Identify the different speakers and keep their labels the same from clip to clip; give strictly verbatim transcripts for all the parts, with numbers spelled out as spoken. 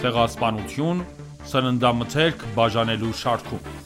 Speaker 1: Ցեղասպանություն՝ սննդամթերք բաժանելու շարքում։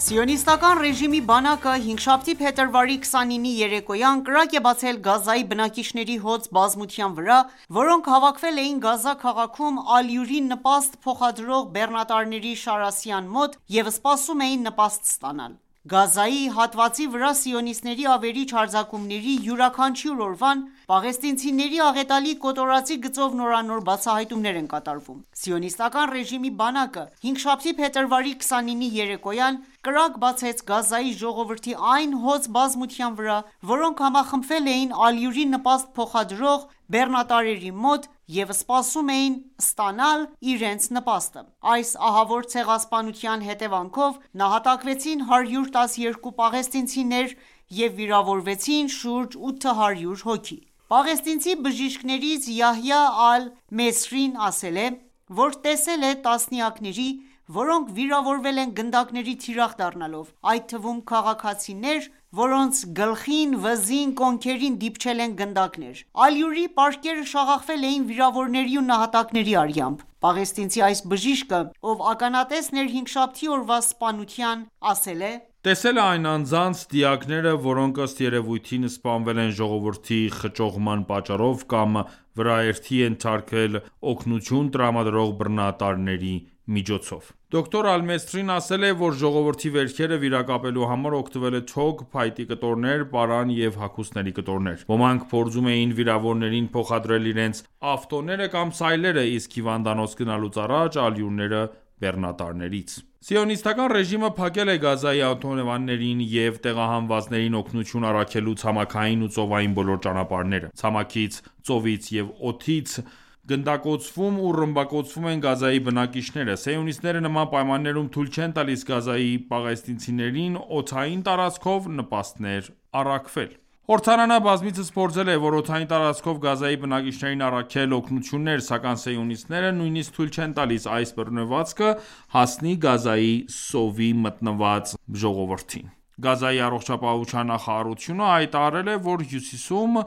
Speaker 2: Սիոնիստական ռեժիմի բանակը հինգշաբթի փետրվարի քսանինի երեկոյան կրակ է բացել Գազայի բնակիչների հոծ բազմության վրա, որոնք հավաքվել էին Գազա քաղաքում ալյուրին նպաստ փոխադրող բեռնատարների շարասյան մոտ և սպասում էին նպաստ ստանալ։ Գազայի հատվածի վրա սիոնիստների ավերիչ հարձակումների յուրաքանչյուր օրվան պաղեստինցիների աղետալի կոտորածի գծով նորանոր բացահայտումներ են կատարվում։ Սիոնիստական ռեժիմի բանակը հինգշաբթի փետրվարի քսանինի երեկոյան կրակ բացեց Գազայի ժողովրդի այն հոծ բազմության վրա, որոնք համախմբվել էին ալյուրի նպաստ փոխադրող բեռնատարերի մոտ և սպասում էին ստանալ իրենց նպաստը։ Այս ահավոր ցեղասպանության հետևանքով նահատակվեցին հարյուր տասներկու պաղեստինցիներ և վիրավորվեցին շուրջ ութ հարյուր հոգի։ Պաղեստինցի բժիշկներից Յահյա Ալ-Մեսրին ասել է, որ տեսել է տասնյակների, որոնք վիրավորվել են գնդակների թիրախ դառնալով, այդ թվում քաղաքացիներ, որոնց գլխին, վզին, կոնքերին դիպչել են գնդակներ։ Ալյուրի պարկերը շաղախվել էին վիրավորների ու նահատակների արյամբ։ Պաղեստինցի այս բժիշկը, ով ականատեսն էր հինգշաբթի օրվա սպանության, ասել է.
Speaker 1: «Տեսել է այն անձանց դիակները, որոնք ըստ երևույթին սպանվել են ժողովրդի խճողման պատճառով կամ վրաերթի են թարգել օգնություն տրամադրող բռնատարների միջոցով»։ Դոկտոր Ալ-Մեսրին ասել է, որ ժողովրդի վերքերը վիրակապելու համար օգտվել է թոք, փայտի կտորներ, պարան և հագուստների կտորներ։ Ոմանք փորձում էին վիրավորներին փոխադրել իրենց ավտոները կամ սայլերը, իսկ հիվանդանոց գնալուց առաջ ալյուրները բեռնատարներից։ Սիոնիստական ռեժիմը փակել է Գազայի ավտոհրամաններին և տեղահանվածներին օգնություն առաքելու ցամաքային ու ծովային բոլոր ճանապարհները։ Ցամաքից, ծովից և օդից գնդակոծվում ու ռմբակոծվում են Գազայի բնակիչները։ Սիոնիստները նման պայմաններում թույլ չեն տալիս Գազայի պաղեստինցիներին օդային տարածքով նպաստներ առաքվել։ Օրթանանը բազմիցս փորձել է, որ օդային տարածքով Գազայի բնակիչներին առաքել օգնություններ, սակայն սիոնիստները նույնիսկ թույլ չեն տալիս այս բռնվածքը հասնի Գազայի սովի մտնված ժողովրդին։ Գազայի առողջապահության նախարարությունը հայտարարել է, որ հյուսիսում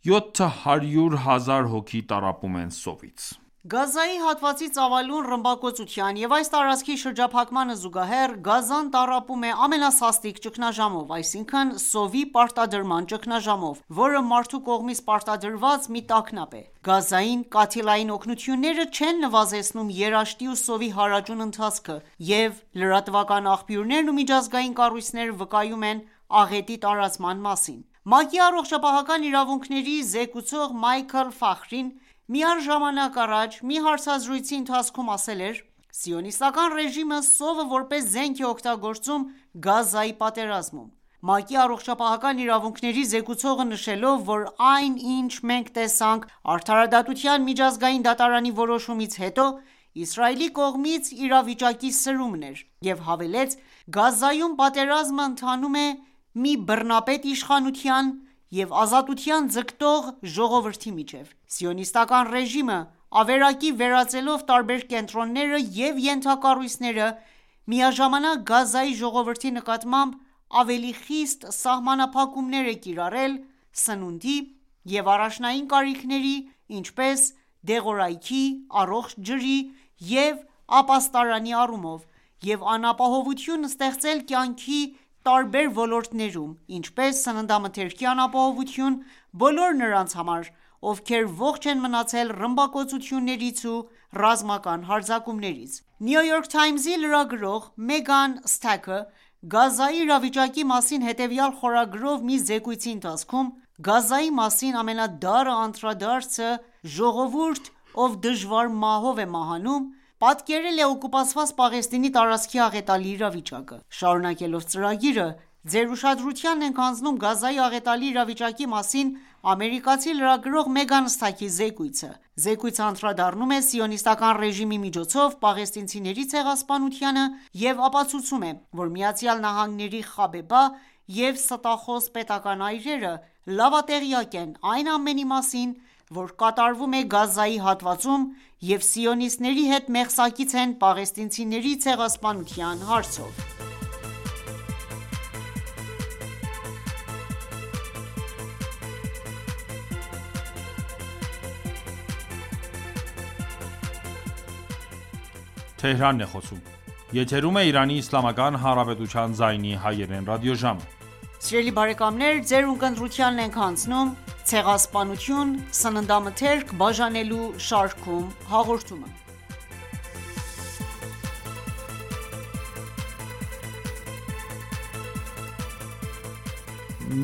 Speaker 1: յոթ հարյուր հազար հոգի տառապում են սովից։
Speaker 2: Գազայի հատվածի ծավալուն ռմբակոծության և այս տարածքի շրջափակմանը զուգահեռ, Գազան տառապում է ամենասաստիկ ճգնաժամով, այսինքն սովի պարտադրման ճգնաժամով, որը մարդու կողմից պարտադրված մի տագնապ է։ Գազային կաթիլային օգնությունները չեն նվազեցնում երաշտի ու սովի հարաճուն ընթացքը, և լրատվական աղբյուրներն ու միջազգային կառույցները վկայում են աղետի տարածման մասին։ ՄԱԿ-ի առողջապահական իրավունքների զեկուցող Մայքլ Ֆախրին միառժամանակ առաջ մի հարցազրույցի ընթացքում ասել էր.«Սիոնիստական ռեժիմը սովը որպես զենք է օգտագործում Գազայի պատերազմում»։ ՄԱԿ-ի առողջապահական իրավունքների զեկուցողը նշելով, որ այն, ինչ մենք տեսանք Արդարադատության միջազգային դատարանի որոշումից հետո, Իսրայելի կողմից իրավիճակի սրումն էր և հավելեց.«Գազայում պատերազմը ընթանում է մի բռնապետ իշխանության և ազատության ձգտող ժողովրդի միջև։ Սիոնիստական ռեժիմը ավերակի վերածելով տարբեր կենտրոնները և ենթակառույցները, միաժամանակ Գազայի ժողովրդի նկատմամբ ավելի խիստ սահմանափակումներ է կիրառել սնունդի և առաջնային կարիքների, ինչպես դեղորայքի, առողջ ջրի և ապաստարանի առումով, և անապահովություն ստեղծել կյանքի տարբեր ոլորտներում, ինչպես սննդամթերքի անապահովություն բոլոր նրանց համար, ովքեր ողջ են մնացել ռմբակոծություններից ու ռազմական հարձակումներից»։ New York Times-ի լրագրող Մեգան Սթաքը Գազայի իրավիճակի մասին հետևյալ խորագրով մի զեկույցի ընթացքում Գազայի մասին ամենադառը անդրադարձը «ժողովուրդ, ով դժվար մահով է մահանում» պատկերել է օկուպացված Պաղեստինի տարածքի աղետալի իրավիճակը։ Շարունակելով ծրագիրը, ձեր ուշադրությանն ենք հանձնում Գազայի աղետալի իրավիճակի մասին ամերիկացի լրագրող Մեգան Սթաքի զեկույցը։ Զեկույցը անդրադառնում է սիոնիստական ռեժիմի միջոցով պաղեստինցիների ցեղասպանությանը և ապացուցում է, որ ԱՄՆ-ի Խաբեբա և ստախոս պետական այրերը լավատեղյակ են այն ամենի մասին, որ կատարվում է Գազայի հատվածում և սիոնիստների հետ մեղսակից են պաղեստինցիների ցեղասպանության հարցով։
Speaker 1: Եթերում է Իրանի Իսլամական Հանրապետության ձայնի հայերեն ռադիոժամը։
Speaker 2: Սիրելի բարեկամներ, ձեր ունկնդրությանն ենք հանձնում «Ցեղասպանություն՝ սննդամթերք բաժանելու» շարքում հաղորդումը։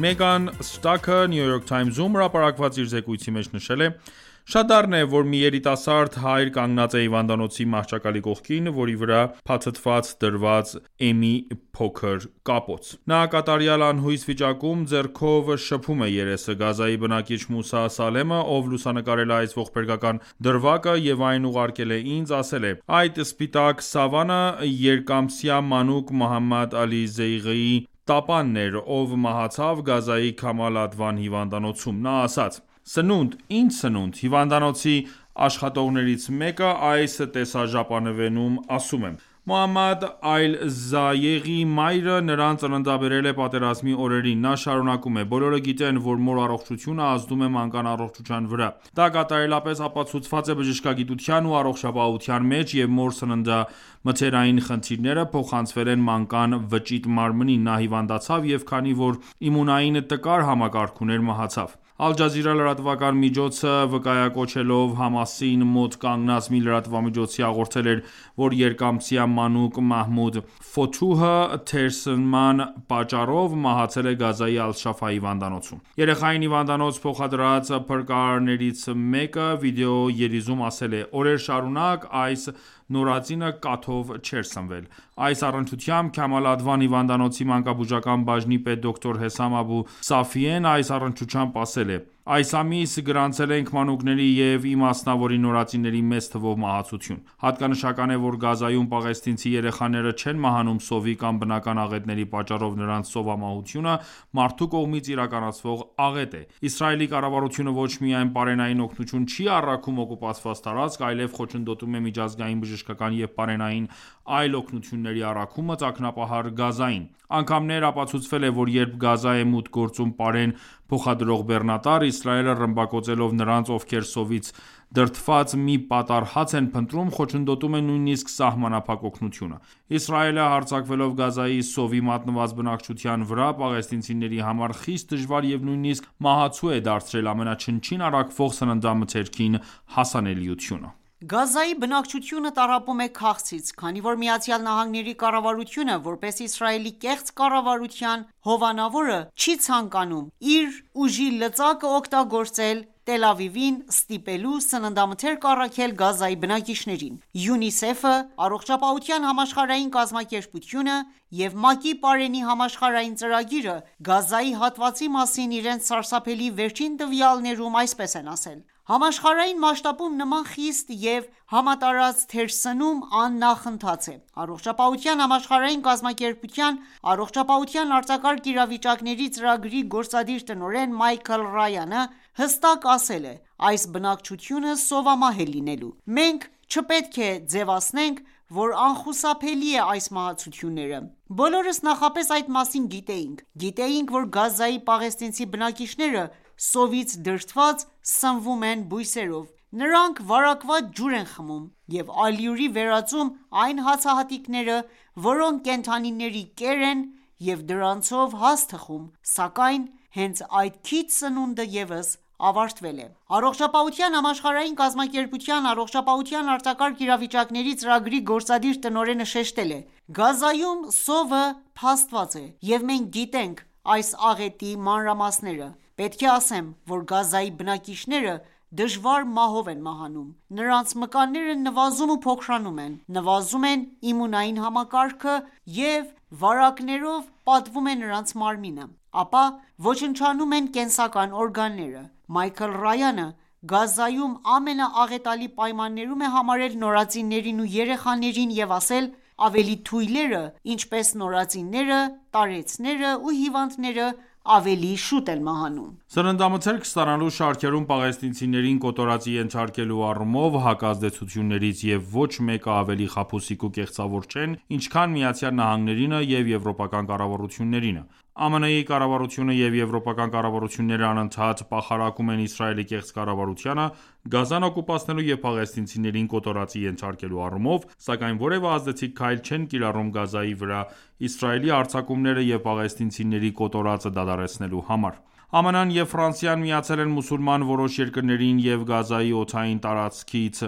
Speaker 1: Մեգան Ստաքը New York Times-ում հրապարակված իր զեկույցի մեջ նշել է. «Շատ դառն է, որ մի երիտասարդ հայր կանգնած է հիվանդանոցի մահճակալի կողքին, որի վրա փաթաթված դրված է մի փոքր կապոց։ Նա կատարյալ անհույս վիճակում ձեռքով շփում է երեսը։ Գազայի բնակիչ Մուսա Սալեմը, ով լուսանկարել է այս ողբերգական դրվագը և այն ուղարկել է ինձ, ասել է. «Այդ սպիտակ սավանը երկամսյա մանուկ Մոհամմադ Ալի Զեյղիի տապանն էր, ով մահացավ Գազայի Քամալ Ադվան հիվանդանոցում։ Նա ասաց. «Սնունդ, ինչ սնունդ»։ Հիվանդանոցի աշխատողներից մեկը այս տեսաժապավենում ասում է. «Մոհամմադ Այլ Զայեղի մայրը նրան ծննդաբերել է պատերազմի օրերին»։ Նա շարունակում է. «Բոլորը գիտեն, որ մոր առողջությունը ազդում է մանկան առողջության վրա։ Դա կատարելապես ապացուցված է բժշկագիտության ու առողջապահության մեջ, և մոր սննդամթերային խնդիրները փոխանցվել են մանկան վճիտ մարմնին։ Նա հիվանդացավ և քանի որ իմունային տկար համակարգ ուներ, մահացավ»։ Ալ Ջազիրա լրատվական միջոցը վկայակոչելով Համասին մոտ կանգնած մի լրատվամիջոցի հաղորդել էր, որ երկամսյա մանուկ Մահմուդ Ֆոթուհը թերսնման պատճառով մահացել է Գազայի Ալ-Շաֆա հիվանդանոցում։ Երեխային հիվանդանոց փոխադրած փրկարարներից մեկը վիդեո երիզում ասել է. «Օրեր շարունակ այս նորածինը կաթով չէր սնվել»։ Այս առնչությամբ Քամալ Ադվան հիվանդանոցի մանկաբուժական բաժնի պետ դոկտոր Հեսամ Աբու Սաֆիեն այս առնչությամբ ասել է. «Այս ամիս գրանցել ենք մանուկների և իմասնավորի նորածինների մեծ թվով մահացություն։ Հատկանշական է, որ Գազայում պաղեստինցի երեխաները չեն մահանում սովի կամ բնական աղետների պատճառով, նրանց սովամահությունը մարդու կողմից իրականացվող աղետ է։ Իսրայելի կառավարությունը ոչ միայն պարենային օգնություն չի առաքում օկուպացված տարածք, այլև խոչընդոտում է միջազգային բժշկական և պարենային այլ օգնությունների առաքումը ծակնապահար Գազային։ Անգամներ ապացուցվել է, որ երբ Գազա է մուտք գործում պարեն փոխադրող բեռնատար, Իսրայելը ռմբակոծելով նրանց, ովքեր սովից դրդված մի պատառ հաց են փնտրում, խոչընդոտում է նույնիսկ սահմանափակ օգնությունը։ Իսրայելը հարձակվելով Գազայի սովի մատնված բնակչության վրա, պաղեստինցիների համար խիստ դժվար և նույնիսկ մահացու է դարձրել ամենաչնչին առաքվող սննդամթերքին հասանելիությունը։
Speaker 2: Գազայի բնակչությունը տառապում է քաղցից, քանի որ ԱՄՆ-ի կառավարությունը, որպես Իսրայելի կեղծ կառավարության հովանավորը, չի ցանկանում իր ուժի լծակը օգտագործել Տել Ավիվին ստիպելու սննդամթերք առաքել Գազայի բնակիչներին։ ՅՈՒՆԻՍԵՖ-ը, Առողջապահության համաշխարհային կազմակերպությունը և ՄԱԿ-ի պարենի համաշխարհային ծրագիրը Գազայի հատվածի մասին իրենց սարսափելի վերջին տվյալներում այսպես են ասել. «Համաշխարհային մասշտաբում նման խիստ և համատարած թերսնում աննախընթաց է»։ Առողջապահության համաշխարհային կազմակերպության առողջապահության արտակարգ իրավիճակների ծրագրի գործադիր տնօրեն Մայքլ Ռայանը հստակ ասել է. «Այս բնակչությունը սովամահ է լինելու։ Մենք չպետք է ձևացնենք, որ անխուսափելի է այս մահացությունները։ Բոլորս նախապես այդ մասին գիտեինք։ Գիտեինք, որ Գազայի պաղեստինցի բնակիչները սովից դրդված սնվում են բույսերով։ Նրանք վարակված ջուր են խմում և ալյուրի վերածում այն հացահատիկները, որոնք կենդանիների կեր են և դրանցով հաց թխում, սակայն հենց այդ քիչ սնունդը ևս ավարտվել է»։ Առողջապահության համաշխարհային կազմակերպության առողջապահության արտակարգ իրավիճակների ծրագրի գործադիր տնօրենը շեշտել է. «Գազայում սովը փաստված է, և մենք գիտենք այս աղետի մանրամասները։ Պետք է ասեմ, որ Գազայի բնակիչները դժվար մահով են մահանում։ Նրանց մկանները նվազում ու փոքրանում են, նվազում է իմունային համակարգը և վարակներով պատվում է նրանց մարմինը, ապա ոչնչանում են կենսական օրգանները»։ Մայքլ Ռայանը Գազայում ամենաաղետալի պայմաններում է համարել նորածիններին ու երեխաներին և ասել. «Ավելի թույլերը, ինչպես նորածինները, տարեցները ու հիվանդները ավելի շուտ են մահանում»։
Speaker 1: Սննդամթերք ստանալու շարքերում պաղեստինցիներին կոտորածի ենթարկելու առումով հակազդեցություններից և ոչ մեկը ավելի խաբուսիկ ու կեղծավոր չեն, ինչքան ԱՄՆ-ը և եվրոպական կառավարություններինը։ ԱՄՆ-ի կառավարությունը և եվրոպական կառավարությունները անընդհատ պախարակում են Իսրայելի կեղծ կառավարությանը՝ Գազան օկուպացնելու և պաղեստինցիներին կոտորածի ենթարկելու առումով, սակայն որևէ ազդեցիկ քայլ չեն կիրառում Գազայի վրա Իսրայելի հարձակումները և պաղեստինցիների կոտորածը դադարեցնելու համար: ԱՄՆ-ն և Ֆրանսիան միացել են մուսուլման որոշ երկրներին և Գազայի օդային տարածքից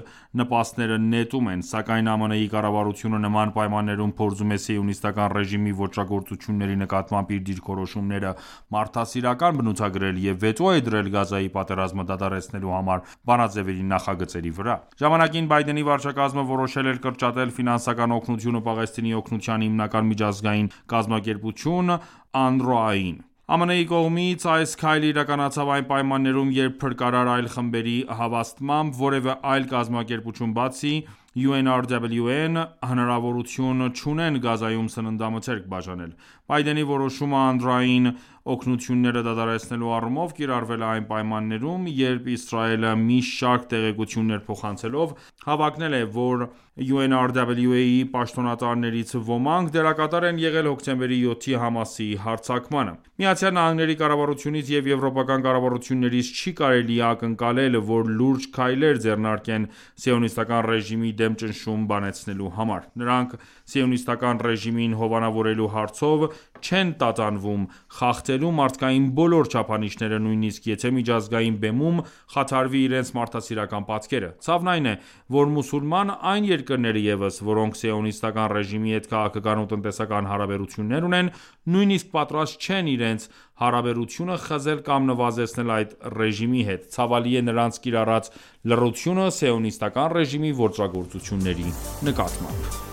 Speaker 1: նպաստները նետում են, սակայն ԱՄՆ-ի կառավարությունը նման պայմաններում փորձում է Սիոնիստական ռեժիմի ոճրագործությունների նկատմամբ իր դիրքորոշումները մարդասիրական բնութագրել և վետո է դրել Գազայի պատերազմը դադարեցնելու համար բանաձևերի նախագծերի վրա: Ժամանակին Բայդենի վարչակազմը որոշել էր կրճատել ֆինանսական օգնությունը Պաղեստինի օգնության հիմնական միջազգային կազմակերպություն ԱՆՐՈԱ-ին: ԱՄՆ-ի կողմից այս քայլը իրականացավ այն պայմաններում, երբ փրկարար այլ խմբերի հավաստմամբ, որևէ այլ կազմակերպություն, բացի յու էն առ դաբլյու էն, հնարավորություն չունեն Գազայում սննդամթերք բաժանել: Բայդենի որոշումը ԱՆՌՕ-ին օգնությունները դադարեցնելու առումով կիրառվել է այն պայմաններում, երբ Իսրայելը մի շարք տեղեկություններ փոխանցելով, հավակնել է, որ յու էն առ դաբլյու էն-ի պաշտոնատարներից ոմանք դերակատար են եղել հոկտեմբերի յոթի Համասի հարձակմանը: ԱՄՆ-ի կառավարությունից և եվրոպական կառավարություններից չի կարելի ակնկալել, որ լուրջ քայլեր ձեռնարկեն Սիոնիստական ռեժիմի դեմ ճնշում բանեցնելու համար: Նրանք Սիոնիստական ռեժիմին հովանավորելու հարցով չեն տատանվում խախտելու մարդկային բոլոր չափանիշները, նույնիսկ եթե միջազգային բեմում խաթարվի իրենց մարդասիրական պատկերը: Ցավն այն է, որ մուսուլման այն երկրները ևս, որոնք Սիոնիստական ռեժիմի հետ քաղաքական ու տնտեսական հարաբերություններ ունեն, նույնիսկ պատրաստ չեն իրենց հարաբերությունը խզել կամ նվազեցնել այդ ռեժիմի հետ: Ցավալի է նրանց կիրառած լռությունը Սիոնիստական ռեժիմի ոճրագործությունների նկատմամբ: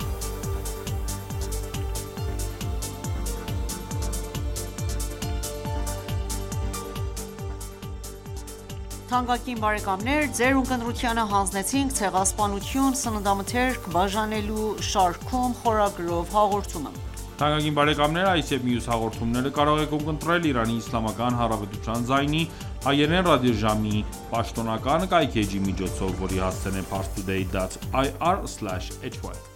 Speaker 1: Այս և մյուս հաղորդումները կարող եք ունկնդրել Իրանի Իսլամական Հանրապետության ձայնի հայերեն ռադիոժամի պաշտոնական կայքէջի միջոցով, որի հասցեն է՝ parstoday dot ir slash hy